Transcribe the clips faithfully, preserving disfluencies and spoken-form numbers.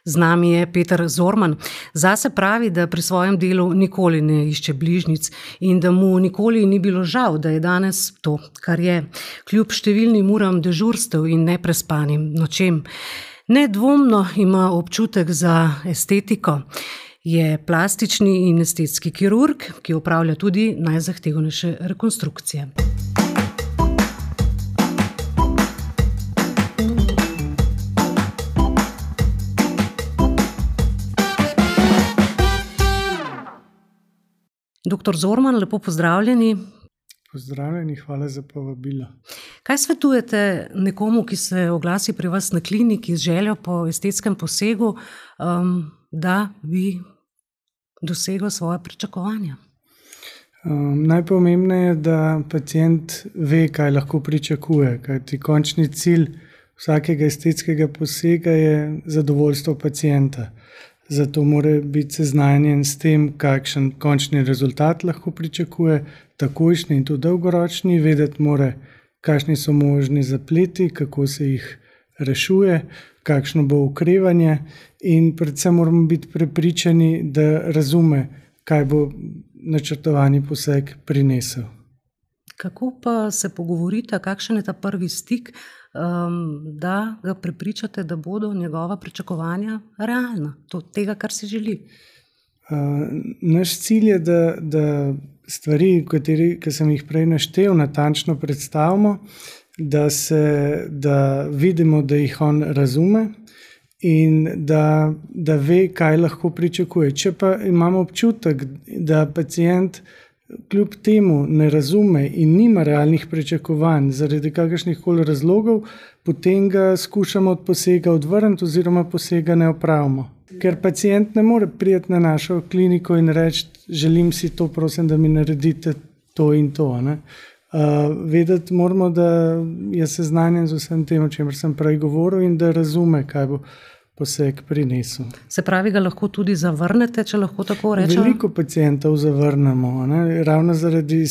Z nami je Peter Zorman. Zase pravi, da pri svojem delu nikoli ne išče bližnjic in da mu nikoli ni bilo žal, da je danes to, kar je, kljub številnim uram dežurstev in neprespanim nočem. Nedvomno ima občutek za estetiko. Je plastični in estetski kirurg, ki opravlja tudi najzahtevnejše rekonstrukcije. Doktor Zorman, lepo pozdravljeni. Pozdravljeni, hvala za povabilo. Kaj svetujete nekomu, ki se oglasi pri vas na kliniki z željo po estetskem posegu, um, da bi dosegel svoje pričakovanja? Um, najpomembneje je, da pacient ve, kaj lahko pričakuje, kajti končni cilj vsakega estetskega posega je zadovoljstvo pacienta. Zato mora biti seznanjen s tem, kakšen končni rezultat lahko pričakuje, takojšnji in tudi dolgoročni, vedeti mora, kakšni so možni zapleti, kako se jih rešuje, kakšno bo okrevanje in predvsem moramo biti prepričani, da razume, kaj bo načrtovani poseg prinesel. Kako pa se pogovorite, kakšen je ta prvi stik, um, da ga prepričate, da bodo njegova pričakovanja realna, to, tega, kar si želi? Uh, naš cilj je, da, da stvari, kateri, ki sem jih prej naštel, natančno predstavimo, da, se, da vidimo, da jih on razume in da, da ve, kaj lahko pričakuje. Če pa imamo občutek, da pacient kljub temu ne razume in nima realnih pričakovanj zaradi kakršnih koli razlogov, potem ga skušamo od posega odvrniti oziroma posega ne opravimo. Ker pacient ne more priti na našo kliniko in reči, želim si to, prosim, da mi naredite to in to. Ne? Uh, vedeti moramo, da je seznanjen z vsem tem, o čemer sem prej govoril in da razume, kaj bo poseg prinesel. Se pravi, ga lahko tudi zavrnete, če lahko tako rečem? Veliko pacientov zavrnemo, ne? Ravno zaradi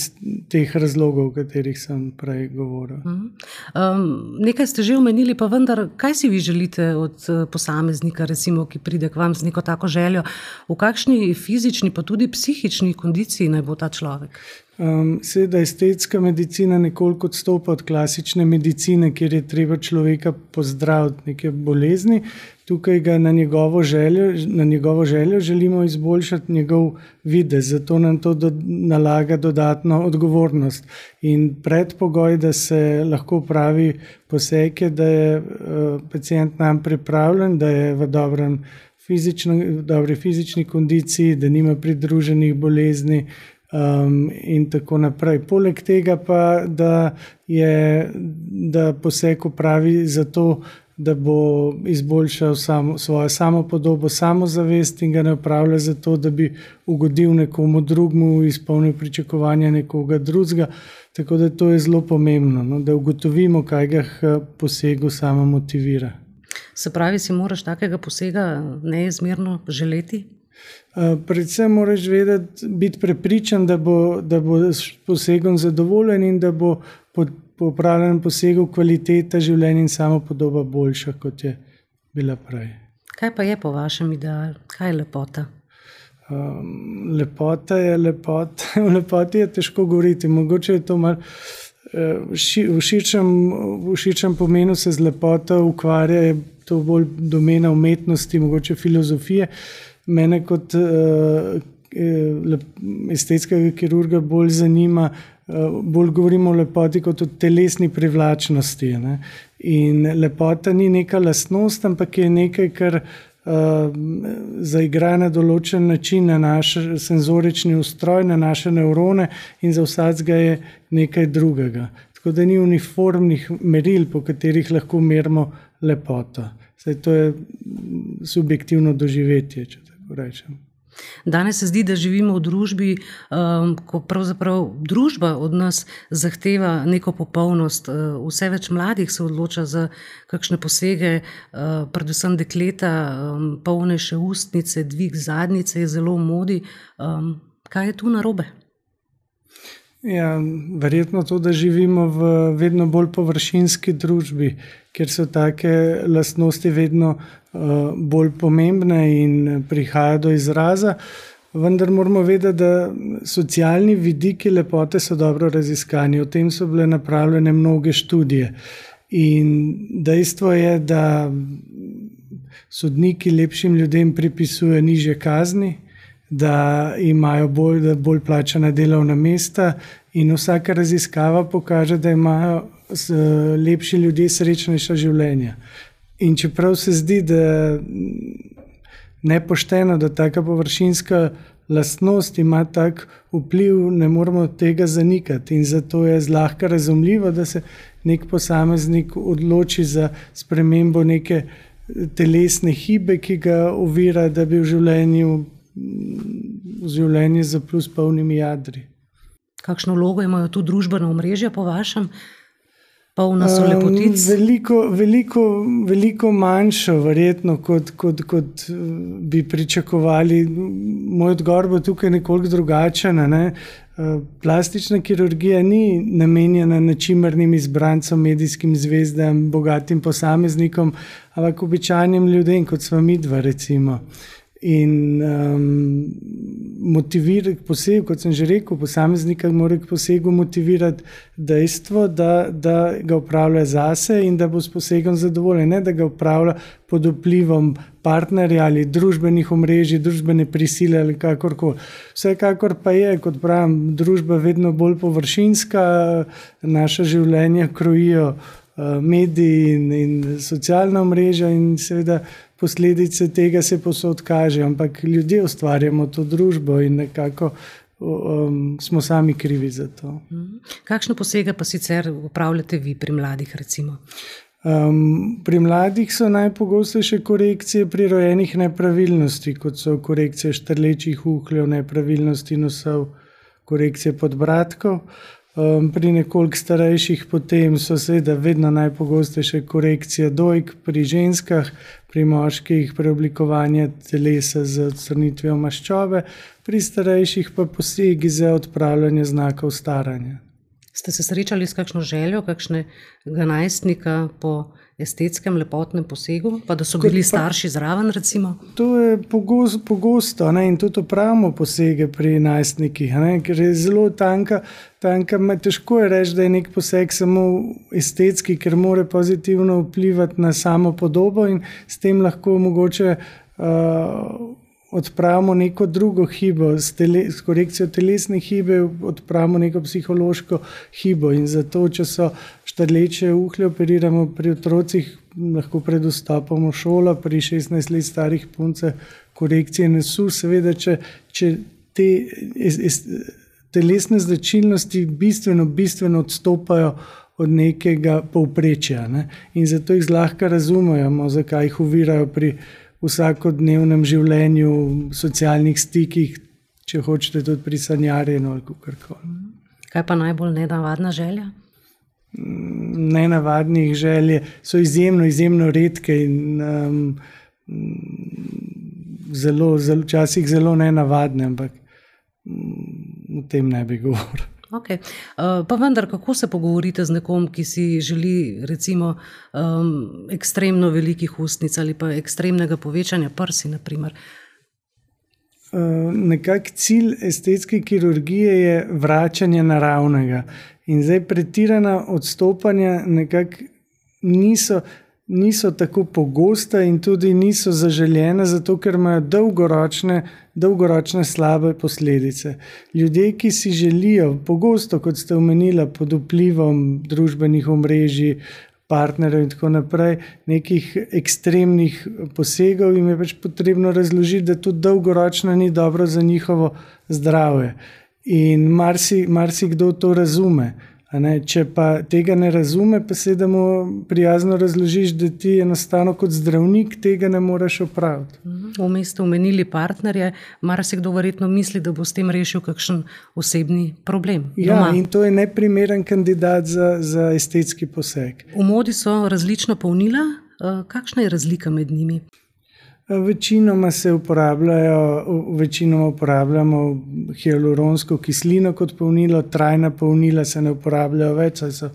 teh razlogov, o katerih sem prej govoril. Um, nekaj ste že omenili, pa vendar, kaj si vi želite od posameznika, recimo, ki pride k vam z neko tako željo? V kakšni fizični, pa tudi psihični kondiciji naj bo ta človek? Um, seveda estetska medicina nekoliko odstopa od klasične medicine, kjer je treba človeka pozdraviti neke bolezni. Tukaj ga na njegovo željo, na njegovo željo želimo izboljšati njegov videz, zato nam to do, nalaga dodatno odgovornost. In predpogoj, da se lahko pravi poseg, je, da je uh, pacient nam pripravljen, da je v dobrem fizično, v dobri fizični kondiciji, da nima pridruženih bolezni, Um, in tako naprej. Poleg tega pa, da je, da poseg opravi zato, da bo izboljšal samo, svojo samopodobo, samozavest in ga ne opravlja zato, da bi ugodil nekomu drugmu, izpolnil pričakovanja nekoga drugega. Tako da to je zelo pomembno, no, da ugotovimo, kaj ga posegu samo motivira. Se pravi, si moraš takega posega neizmerno želeti? Uh, predvsem moraš vedeti, biti prepričan, da bo, da bo s posegom zadovoljen in da bo po, po opravljenem posegu kvaliteta življenja in samopodoba boljša, kot je bila prej. Kaj pa je po vašem ideal? Kaj je lepota? Um, lepota je lepota. O lepoti je težko govoriti. Mogoče je to malo uh, v širšem, v širšem pomenu se z lepoto ukvarja, je to bolj domena umetnosti, mogoče filozofije. Mene kot uh, estetskega kirurga bolj zanima, uh, bolj govorimo o lepoti kot o telesni privlačnosti. Ne? In lepota ni neka lastnost, ampak je nekaj, kar uh, zaigra na določen način na naš senzorični ustroj, na naše nevrone in za vsakega je nekaj drugega. Tako da ni uniformnih meril, po katerih lahko merimo lepoto. Saj to je subjektivno doživetje, če tako rečem. Danes se zdi, da živimo v družbi, um, ko pravzaprav družba od nas zahteva neko popolnost. Uh, vse več mladih se odloča za kakšne posege, uh, predvsem dekleta, um, polnejše ustnice, dvig zadnjice je zelo v modi. Um, kaj je tu narobe? Ja, verjetno to, da živimo v vedno bolj površinski družbi, kjer so take lastnosti vedno uh, bolj pomembne in prihaja do izraza. Vendar moramo vedeti, da socialni vidiki lepote so dobro raziskani. O tem so bile napravljene mnoge študije. In dejstvo je, da sodniki lepšim ljudem pripisujejo nižje kazni, da imajo bolj, da bolj plačana delovna mesta, in vsaka raziskava pokaže, da imajo lepši ljudje srečnejša življenja. In čeprav se zdi, da nepošteno, da taka površinska lastnost ima tak vpliv, ne moramo tega zanikati. In zato je zlahka razumljivo, da se nek posameznik odloči za spremembo neke telesne hibe, ki ga ovira, da bi v življenju v življenju zaplul s polnimi jadri. Kakšno vlogo imajo tu družbena omrežja po vašem? Polna so lepotic? Um, veliko, veliko, veliko manjšo, verjetno, kot, kot, kot bi pričakovali. Moj odgovor bo tukaj nekoliko drugačen. Ne? Plastična kirurgija ni namenjena ničimernim izbrancem, medijskim zvezdam, bogatim posameznikom, ampak običajnim ljudem, kot smo midva, recimo. In um, motivirati poseg, kot sem že rekel, posameznika mora k posegu motivirati dejstvo, da, da ga upravlja zase in da bo s posegom zadovoljen, ne da ga upravlja pod vplivom partnerja ali družbenih omrežij, družbene prisile ali kakorkoli. Vsekakor pa je, kot pravim, družba vedno bolj površinska, naša življenja krojijo uh, mediji in, in socialna omrežja in seveda posledice tega se posod kaže, ampak ljudje ustvarjamo to družbo in nekako um, smo sami krivi za to. Kakšne posege pa sicer upravljate vi pri mladih, recimo? Um, pri mladih so najpogostejše korekcije prirojenih nepravilnosti, kot so korekcije štrlečih uhljev, nepravilnosti nosov, korekcije podbradkov. Um, pri nekoliko starejših potem so seveda vedno najpogostejše korekcije dojk pri ženskah, pri moških preoblikovanje telesa z odstranitvijo maščobe, pri starejših pa posegi za odpravljanje znakov staranja. Ste se srečali s kakšno željo, kakšnega najstnika po estetskem lepotnem posegu, pa da so bili starši zraven, recimo? To je pogosto, pogosto ne, in tudi opravimo posege pri najstnikih, ne, ker je zelo tanka, tanka, težko je reči, da je nek poseg samo estetski, ker mora pozitivno vplivati na samo podobo in s tem lahko mogoče uh, odpravimo neko drugo hibo, s, tele, s korekcijo telesne hibe odpravimo neko psihološko hibo in zato, če so štrleče uhlje, operiramo pri otrocih, lahko pred vstopom v šolo, pri šestnajst let starih puncah korekcije nosu, seveda, če, če te es, es, telesne značilnosti bistveno, bistveno odstopajo od nekega povprečja, ne? In zato jih zlahka razumemo, zakaj jih ovirajo pri vsakodnevnem življenju, socialnih stikih, če hočete tudi pri sanjarjenju ali kakorkoli. Kaj pa najbolj nenavadna želja? Nenavadnih želje so izjemno, izjemno redke in um, zelo, zelo, včasih zelo nenavadne, ampak um, o tem ne bi govoril. Okay. Uh, pa vendar, kako se pogovorite z nekom, ki si želi recimo um, ekstremno velikih ustnic ali pa ekstremnega povečanja prsi, na primer? Uh, nekak cilj estetske kirurgije je vračanje naravnega. In zdaj pretirana odstopanja nekako niso, niso tako pogosta in tudi niso zaželjena, zato ker imajo dolgoročne, dolgoročne slabe posledice. Ljudje, ki si želijo pogosto, kot ste omenila, pod vplivom družbenih omrežij, partnerjev in tako naprej, nekih ekstremnih posegov, jim je pač potrebno razložiti, da to dolgoročno ni dobro za njihovo zdravje. In marsi, marsikdo to razume. A ne? Če pa tega ne razume, pa se da mu prijazno razložiš, da ti enostavno kot zdravnik tega ne moreš opraviti. Vmes ste omenili partnerje, marsikdo verjetno misli, da bo s tem rešil kakšen osebni problem. Ja, doma. In to je neprimeren kandidat za, za estetski poseg. V modi so različna polnila. Kakšna je razlika med njimi? Večinoma se uporabljajo, večinoma uporabljamo hialuronsko kislino kot polnilo, trajna polnila se ne uporabljajo več, saj so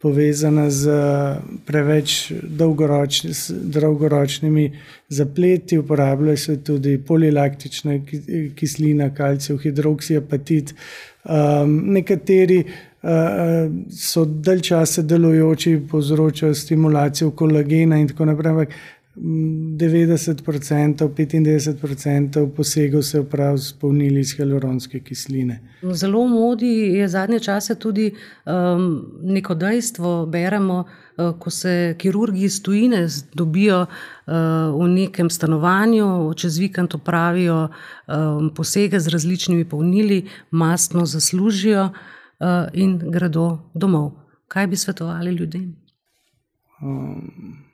povezana z preveč dolgoročni, dolgoročnimi zapleti. Uporabljajo se tudi polilaktična kislina, kalcijev hidroksiapatit. Um, nekateri uh, so dalj časa delujoči, povzročajo stimulacijo kolagena in tako naprej. devetdeset procentov, petindevetdeset procentov posegov se opravi s polnili iz hialuronske kisline. Zelo v modi je zadnje čase tudi um, neko dejstvo, beremo, uh, ko se kirurgi iz tujine dobijo uh, v nekem stanovanju, čez vikend opravijo um, posege z različnimi polnili, mastno zaslužijo uh, in gredo domov. Kaj bi svetovali ljudem? Um.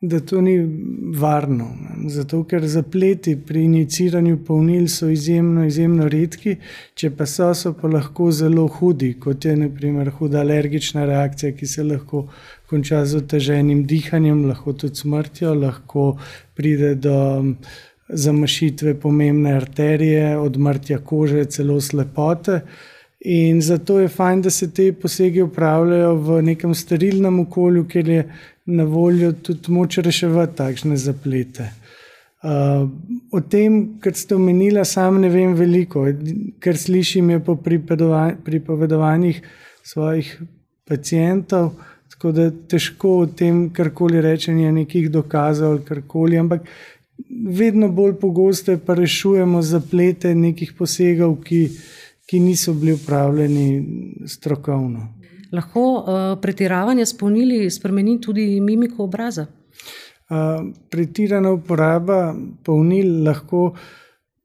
Da to ni varno, zato ker zapleti pri injiciranju polnil so izjemno, izjemno redki, če pa so, so pa lahko zelo hudi, kot je na primer huda alergična reakcija, ki se lahko konča z oteženim dihanjem, lahko tudi smrtjo, lahko pride do zamašitve pomembne arterije, odmrtja kože, celo slepote. In zato je fajn, da se te posege upravljajo v nekem sterilnem okolju, kjer je na voljo tudi moč reševati takšne zaplete. Uh, o tem, kar ste omenila, sam ne vem veliko, ker slišim je po pripovedovanjih svojih pacientov, tako da težko o tem karkoli rečenje nekih dokazov ali karkoli, ampak vedno bolj pogosto pa rešujemo zaplete nekih posegov, ki ki niso bili upravljeni strokovno. Lahko uh, pretiravanje s polnili spremeni tudi mimiko obraza? Uh, pretirana uporaba polnil lahko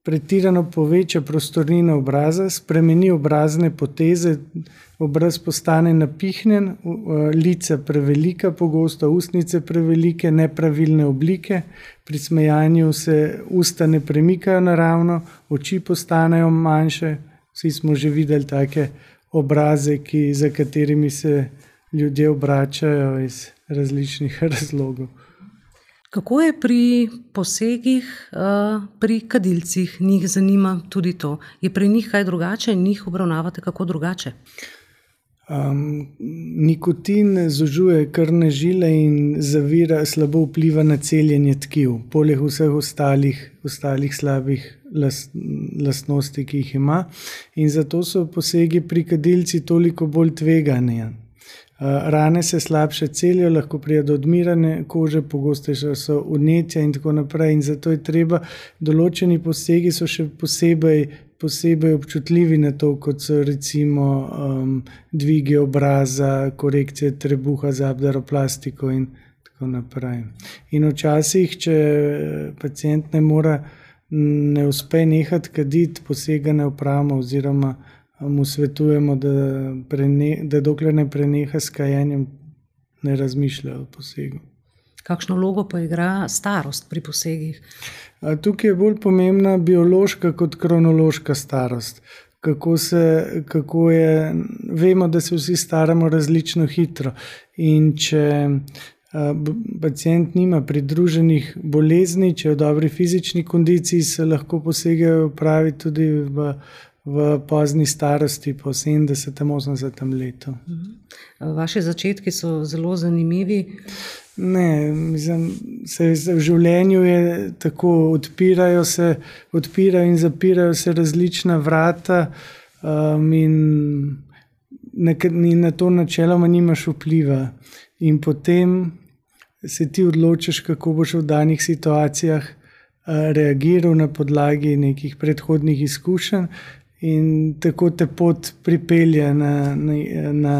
pretirano poveča prostornino obraza, spremeni obrazne poteze, obraz postane napihnjen, uh, lica prevelika, pogosto ustnice prevelike, nepravilne oblike, pri smejanju se usta ne premikajo naravno, oči postanejo manjše. Vsi smo že videli take obraze, ki, za katerimi se ljudje obračajo iz različnih razlogov. Kako je pri posegih, pri kadilcih? Njih zanima tudi to. Je pri njih kaj drugače? Njih obravnavate kako drugače? Um, nikotin zožuje krvne žile in zavira, slabo vpliva na celjenje tkiv, poleg vseh ostalih, ostalih slabih last, lastnosti, ki jih ima. In zato so posegi pri kadilci toliko bolj tvegani. Uh, rane se slabše celijo, lahko pride do odmirane kože, pogostejše so vnetja in tako naprej. In zato je treba, določeni posegi so še posebej posebej občutljivi na to, kot so recimo um, dvigi obraza, korekcije trebuha z abdaroplastiko in tako naprej. In včasih, če pacient ne mora, ne uspe nehati kaditi, posega ne opravimo oziroma mu svetujemo, da, prene, da dokler ne preneha s kajenjem, ne razmišlja o posegu. Kakšno vlogo pa igra starost pri posegih? Tukaj je bolj pomembna biološka kot kronološka starost. Kako se, kako je, vemo, da se vsi staramo različno hitro in če pacient nima pridruženih bolezni, če je v dobri fizični kondiciji, se lahko posege opravi tudi v, v pozni starosti, po sedemdesetem, osemdesetem letu. Vaši začetki so zelo zanimivi. Ne, mislim, se v življenju je tako, odpirajo se, odpirajo in zapirajo se različna vrata um, in, na, in na to načeloma nimaš vpliva. In potem se ti odločiš, kako boš v danih situacijah uh, reagiral na podlagi nekih predhodnih izkušenj in tako te pot pripelje na, na, na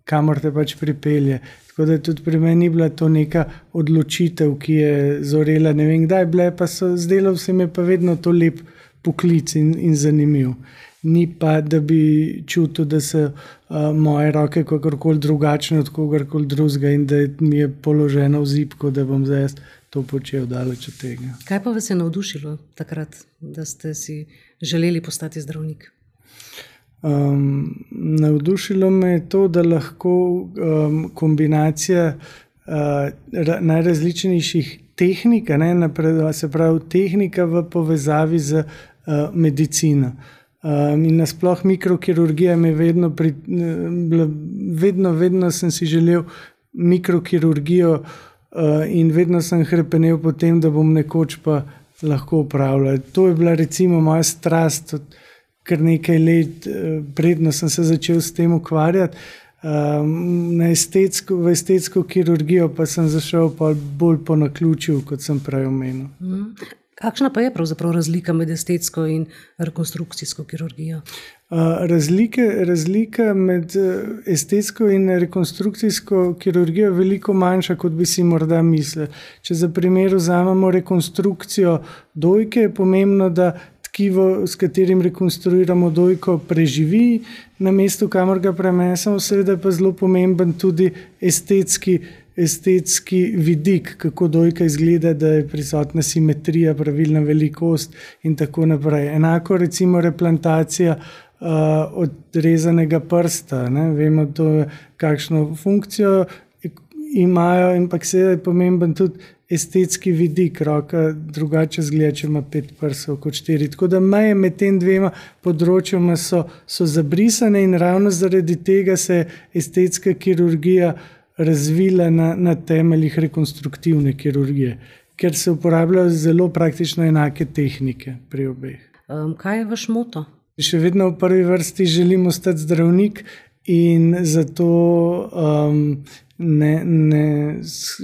kamor te pač pripelje. Tako da tudi pri meni ni bila to neka odločitev, ki je zorela, ne vem kdaj, bile pa so, zdelo se mi pa vedno to lep poklic in, in zanimiv. Ni pa, da bi čutil, da so uh, moje roke kakorkoli drugačne od kogarkoli drugega in da mi je položeno v zibko, da bom zdaj to počel daleč od tega. Kaj pa vas je navdušilo takrat, da ste si želeli postati zdravnik? Um, navdušilo me je to, da lahko um, kombinacija uh, ra, najrazličnejših tehnika, ne, napredova, se pravi tehnika v povezavi z uh, medicino. Um, in nasploh mikrokirurgija me vedno, pri, uh, vedno, vedno sem si želel mikrokirurgijo uh, in vedno sem hrepenel po tem, da bom nekoč pa lahko upravljal. To je bila recimo moja strast, kar nekaj let, uh, predno sem se začel s tem ukvarjati. Um, na estetsko, v estetsko kirurgijo pa sem zašel pa bolj po naključju, kot sem prej omenil. Mm. Kakšna pa je pravzaprav razlika med estetsko in rekonstrukcijsko kirurgijo? Uh, razlike, razlika med estetsko in rekonstrukcijsko kirurgijo je veliko manjša, kot bi si morda mislili. Če za primer vzamemo rekonstrukcijo dojke, je pomembno, da tkivo, s katerim rekonstruiramo dojko, preživi na mestu, kamor ga prenesemo. Seveda pa zelo pomemben tudi estetski, estetski vidik, kako dojka izgleda, da je prisotna simetrija, pravilna velikost in tako naprej. Enako recimo replantacija uh, odrezanega prsta. Ne? Vemo, to je, kakšno funkcijo imajo, ampak seveda je pomemben tudi estetski vidik. Roka drugače zgleda, če ima pet prstov kot štiri. Tako da meje med tem dvema področjama so, so zabrisane in ravno zaradi tega se je estetska kirurgija razvila na, na temeljih rekonstruktivne kirurgije, ker se uporabljajo zelo praktično enake tehnike pri obeh. Um, kaj je vaš moto? Še vedno v prvi vrsti želim ostati zdravnik in zato um, Ne, ne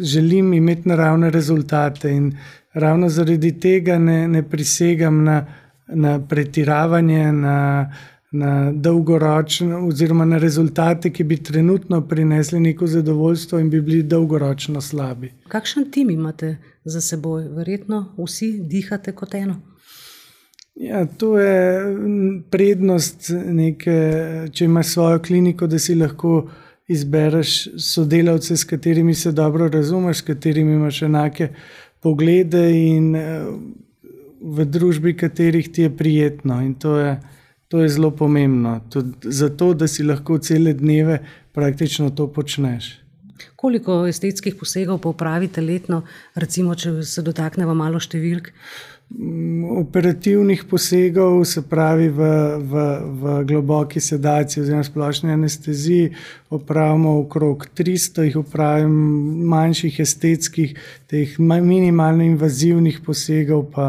želim imeti naravne rezultate in ravno zaradi tega ne, ne prisegam na, na pretiravanje, na, na dolgoročno oziroma na rezultate, ki bi trenutno prinesli neko zadovoljstvo in bi bili dolgoročno slabi. Kakšen tim imate za seboj? Verjetno vsi dihate kot eno? Ja, to je prednost neke, če imaš svojo kliniko, da si lahko izbereš sodelavce, s katerimi se dobro razumeš, s katerimi imaš enake poglede in v družbi katerih ti je prijetno. In to je, to je zelo pomembno. Tudi zato, da si lahko cele dneve praktično to počneš. Koliko estetskih posegov pa opravite letno, recimo, če se dotaknemo malo številk? Operativnih posegov, se pravi v, v, v globoki sedaciji oziroma splošni anesteziji, opravimo okrog tristo, jih opravim manjših estetskih, teh minimalno invazivnih posegov pa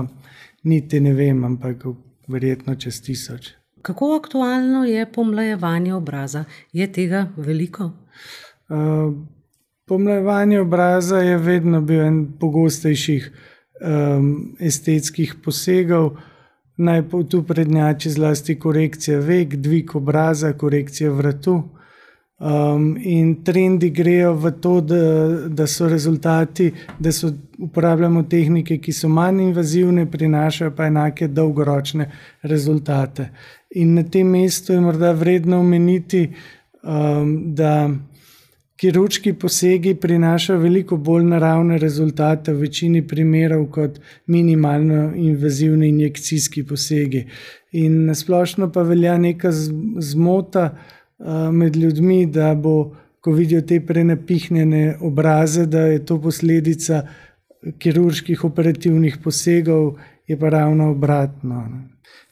niti ne vem, ampak verjetno čez tisoč. Kako aktualno je pomlajevanje obraza? Je tega veliko? Uh, pomlajevanje obraza je vedno bil en pogostejših Um, estetskih posegov. Naj tu prednjači zlasti korekcija vek, dvig obraza, korekcija vratu. Um, in trendi grejo v to, da, da so rezultati, da so uporabljamo tehnike, ki so manj invazivne, prinašajo pa enake dolgoročne rezultate. In na tem mestu je morda vredno omeniti, um, da kirurški posegi prinašajo veliko bolj naravne rezultate v večini primerov kot minimalno invazivni injekcijski posegi. In nasplošno pa velja neka zmota uh, med ljudmi, da bo, ko vidijo te prenapihnjene obraze, da je to posledica kirurških operativnih posegov, je pa ravno obratno.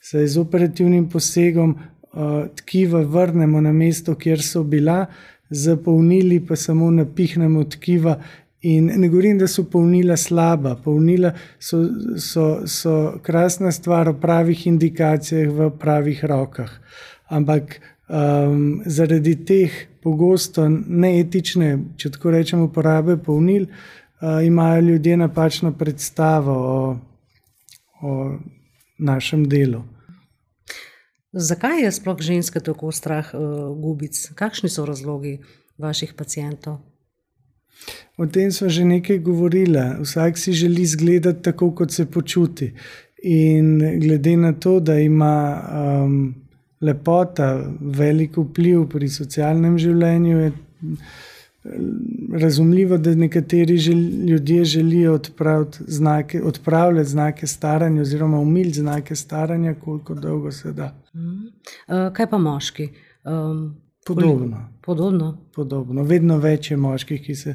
Saj z operativnim posegom uh, tkiva vrnemo na mesto, kjer so bila, zapolnili pa samo napihnemo tkiva in ne govorim, da so polnila slaba. Polnila so, so, so krasna stvar v pravih indikacijah, v pravih rokah. Ampak um, zaradi teh pogosto neetične, če tako rečem, uporabe polnil, uh, imajo ljudje napačno predstavo o, o našem delu. Zakaj je sploh ženske tako strah uh, gubic? Kakšni so razlogi vaših pacientov? O tem smo že nekaj govorili. Vsak si želi izgledati tako, kot se počuti. In glede na to, da ima um, lepota velik vpliv pri socialnem življenju, je razumljivo, da nekateri žel, ljudje želijo odpraviti znake, odpravljati znake staranja oziroma umiliti znake staranja, koliko dolgo se da. Mm. Uh, kaj pa moški? Um, Podobno. Podobno? Podobno. Vedno več je moških, ki se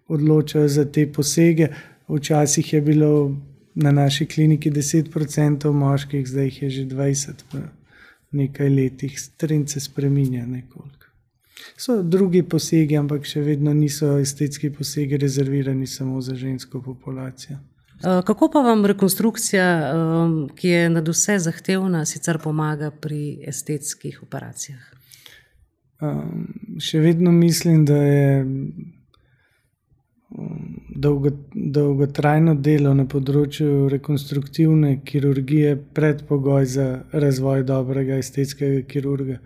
odločajo za te posege. včasih je bilo na naši kliniki deset procentov moških, zdaj jih je že dvajset v nekaj letih. Trend se spreminja nekoliko. So drugi posegi, ampak še vedno niso estetski posegi rezervirani samo za žensko populacijo. Kako pa vam rekonstrukcija, ki je nadvse zahtevna, sicer pomaga pri estetskih operacijah? Um, še vedno mislim, da je dolgo, dolgotrajno delo na področju rekonstruktivne kirurgije predpogoj za razvoj dobrega estetskega kirurga.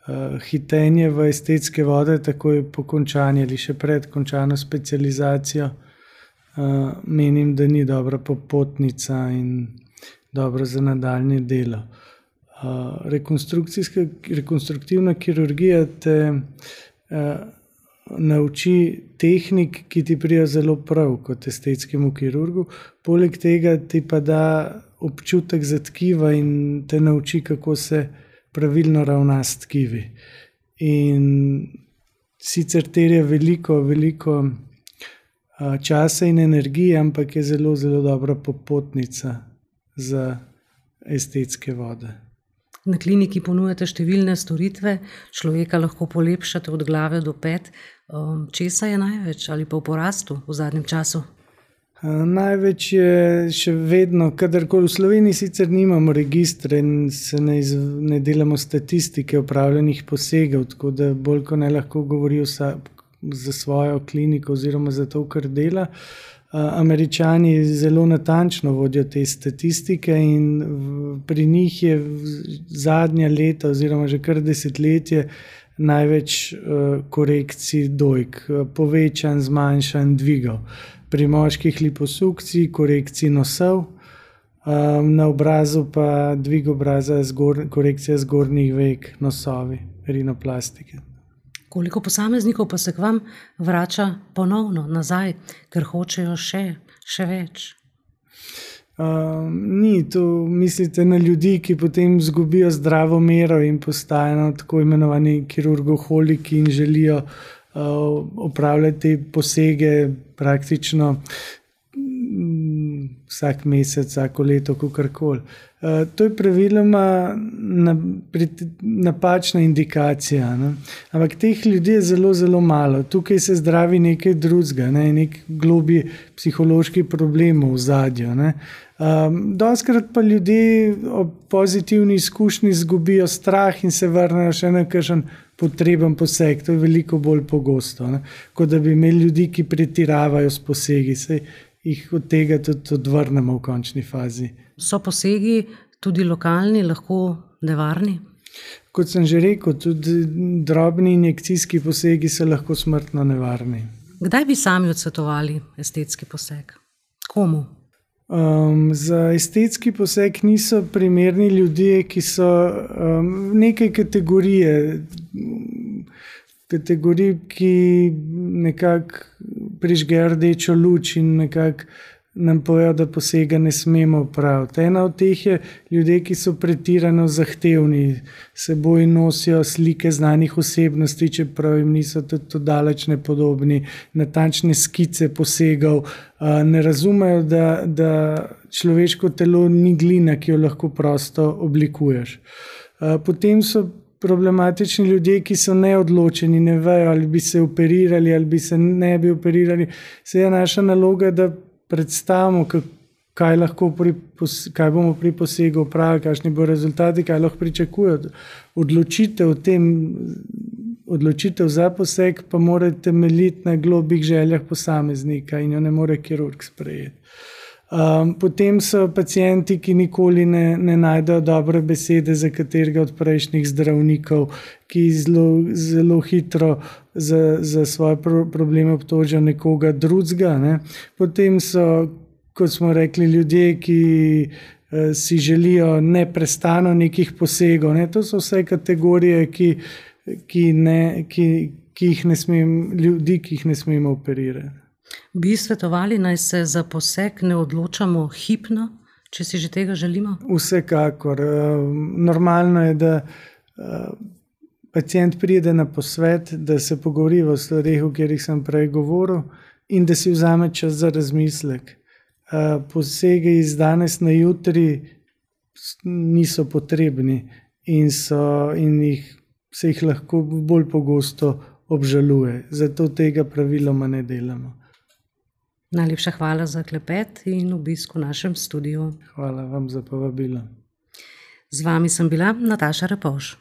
Uh, hitenje v estetske vode takoj po končanju ali še pred končano specializacijo Uh, menim, da ni dobra popotnica in dobro za nadaljnje delo. Uh, rekonstrukcijska, rekonstruktivna kirurgija te uh, nauči tehnik, ki ti prijo zelo prav kot estetskemu kirurgu, poleg tega ti pa da občutek za tkiva in te nauči, kako se pravilno ravna s tkivi. In sicer terja veliko, veliko časa in energije, ampak je zelo, zelo dobra popotnica za estetske vode. Na kliniki ponujate številne storitve, človeka lahko polepšate od glave do pet. Česa je največ ali pa v porastu v zadnjem času? Največ je še vedno, kadarkoli v Sloveniji sicer nimamo registre in se ne, iz, ne delamo statistike opravljenih posegov, tako da bolj ko ne lahko govori vsak za svojo kliniko oziroma za to, kar dela. Američani zelo natančno vodijo te statistike in pri njih je zadnja leta oziroma že kar desetletje največ korekcij dojk, povečan, zmanjšan, dvigov. Pri moških liposukcij, korekcij nosov, na obrazu pa dvig obraza, zgor, korekcija zgornjih vek, nosovi, rinoplastike. Koliko posameznikov pa se k vam vrača ponovno nazaj, ker hočejo še, še več? Uh, ni, to mislite na ljudi, ki potem izgubijo zdravo mero in postajajo tako imenovani kirurgoholiki in želijo uh, opravljati posege praktično um, vsak mesec, vsako leto, kakorkoli. Uh, to je praviloma na, napačna indikacija, ne? Ampak teh ljudi je zelo, zelo malo. Tukaj se zdravi nekaj drugega, ne? Nek globlji psihološki problem v ozadju. Um, doskrat pa ljudje ob pozitivni izkušnji izgubijo strah in se vrnejo še na kakšen potreben poseg. To je veliko bolj pogosto, ne? Kot da bi imeli ljudi, ki pretiravajo s posegi. Saj jih od tega tudi odvrnemo v končni fazi. So posegi tudi lokalni, lahko nevarni? Kot sem že rekel, tudi drobni injekcijski posegi so lahko smrtno nevarni. Kdaj bi sami odsvetovali estetski poseg? Komu? Um, za estetski poseg niso primerni ljudje, ki so um, neke kategorije, kategorij, ki nekako prižgejo rdečo luč in nekako nam povejo, da posega ne smemo opraviti. Ena od teh je ljudje, ki so pretirano zahtevni, seboj nosijo slike znanih osebnosti, čeprav jim niso tudi daleč nepodobni, natančne skice posegov, ne razumejo, da, da človeško telo ni glina, ki jo lahko prosto oblikuješ. Potem so problematični ljudje, ki so neodločeni, ne vejo, ali bi se operirali, ali bi se ne bi operirali. Se je naša naloga, da predstavimo, kaj, lahko pri, kaj bomo pri posegu opravili, kakšni bo rezultati, kaj lahko pričakujejo. Odločitev, tem, odločitev za poseg pa mora temeljiti na globih željah posameznika in jo ne more kirurg sprejeti. Um, potem so pacienti, ki nikoli ne, ne najdejo dobre besede za katerega od prejšnjih zdravnikov, ki zelo, zelo hitro za, za svoje pro, probleme obtožijo nekoga drugega, ne. Potem so, kot smo rekli, ljudje, ki eh, si želijo neprestano nekih posegov. Ne. To so vse kategorije, ki, ki, ne, ki, ki jih ne smem, ljudi, ki jih ne smemo operirati. Bi svetovali, naj se za poseg ne odločamo hipno, če si že tega želimo? Vsekakor. Normalno je, da pacient pride na posvet, da se pogovori o stvareh, o katerih sem prej govoril, in da si vzame čas za razmislek. Posege iz danes na jutri niso potrebni in, so, in jih, se jih lahko bolj pogosto obžaluje. Zato tega praviloma ne delamo. Najlepša hvala za klepet in obisk v našem studiu. Hvala vam za povabilo. Z vami sem bila Nataša Repovž.